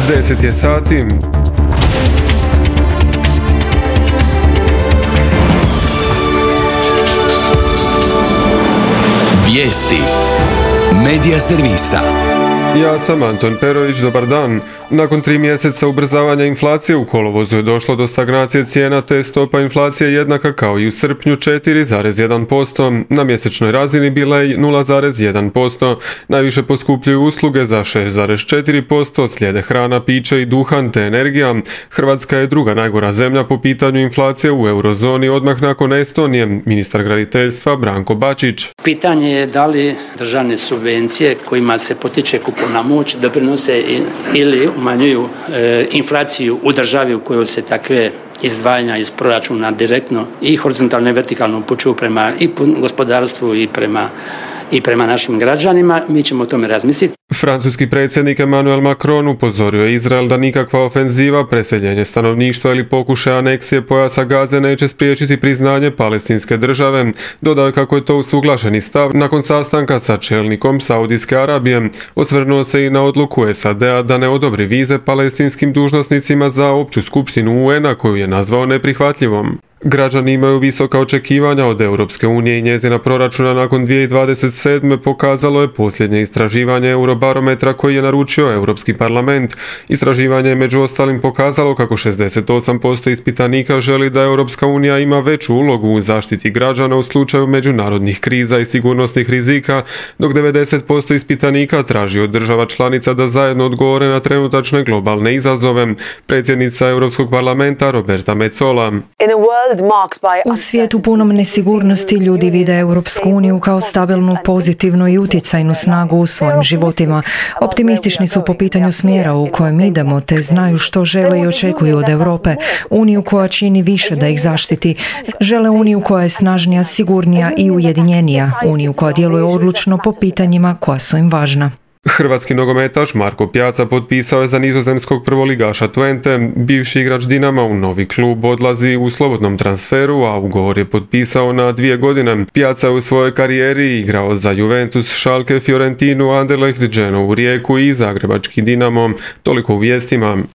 10 je sati. Vijesti Medija servisa. Ja sam Anton Perović, dobar dan. Nakon 3 mjeseca ubrzavanja inflacije u kolovozu je došlo do stagnacije cijena, te stopa inflacije jednaka kao i u srpnju 4,1%. Na mjesečnoj razini bila je 0,1%. Najviše poskupljuju usluge za 6,4%, slijede hrana, piće i duhan te energija. Hrvatska je druga najgora zemlja po pitanju inflacije u eurozoni odmah nakon Estonije, ministar graditeljstva Branko Bačić. Pitanje je da li državne subvencije kojima se potiče kupovna moć doprinose ili umanjuju inflaciju u državi u kojoj se takve izdvajanja iz proračuna direktno i horizontalno i vertikalno upućuju prema i gospodarstvu i prema našim građanima. Mi ćemo o tome razmisliti. Francuski predsjednik Emmanuel Macron upozorio je Izrael da nikakva ofenziva, preseljenje stanovništva ili pokušaj aneksije pojasa Gaze neće spriječiti priznanje palestinske države. Dodao je kako je to usuglašeni stav nakon sastanka sa čelnikom Saudijske Arabije. Osvrnuo se i na odluku SAD-a da ne odobri vize palestinskim dužnosnicima za opću skupštinu UN-a koju je nazvao neprihvatljivom. Građani imaju visoka očekivanja od Europske unije i njezina proračuna nakon 2027. pokazalo je posljednje istraživanje Eurobarometra koji je naručio Europski parlament. Istraživanje je među ostalim pokazalo kako 68% ispitanika želi da Europska unija ima veću ulogu u zaštiti građana u slučaju međunarodnih kriza i sigurnosnih rizika, dok 90% ispitanika traži od država članica da zajedno odgovore na trenutačne globalne izazove. Predsjednica Europskog parlamenta Roberta Metsola. U svijetu punom nesigurnosti ljudi vide Europsku uniju kao stabilnu, pozitivnu i utjecajnu snagu u svojim životima. Optimistični su po pitanju smjera u kojem idemo, te znaju što žele i očekuju od Europe. Uniju koja čini više da ih zaštiti. Žele uniju koja je snažnija, sigurnija i ujedinjenija. Uniju koja djeluje odlučno po pitanjima koja su im važna. Hrvatski nogometaš Marko Pjaca potpisao je za nizozemskog prvoligaša Twente. Bivši igrač Dinama u novi klub odlazi u slobodnom transferu, a ugovor je potpisao na 2 godine. Pjaca je u svojoj karijeri igrao za Juventus, Schalke, Fiorentinu, Anderlecht, Genovu, Rijeku i Zagrebački Dinamo. Toliko u vijestima.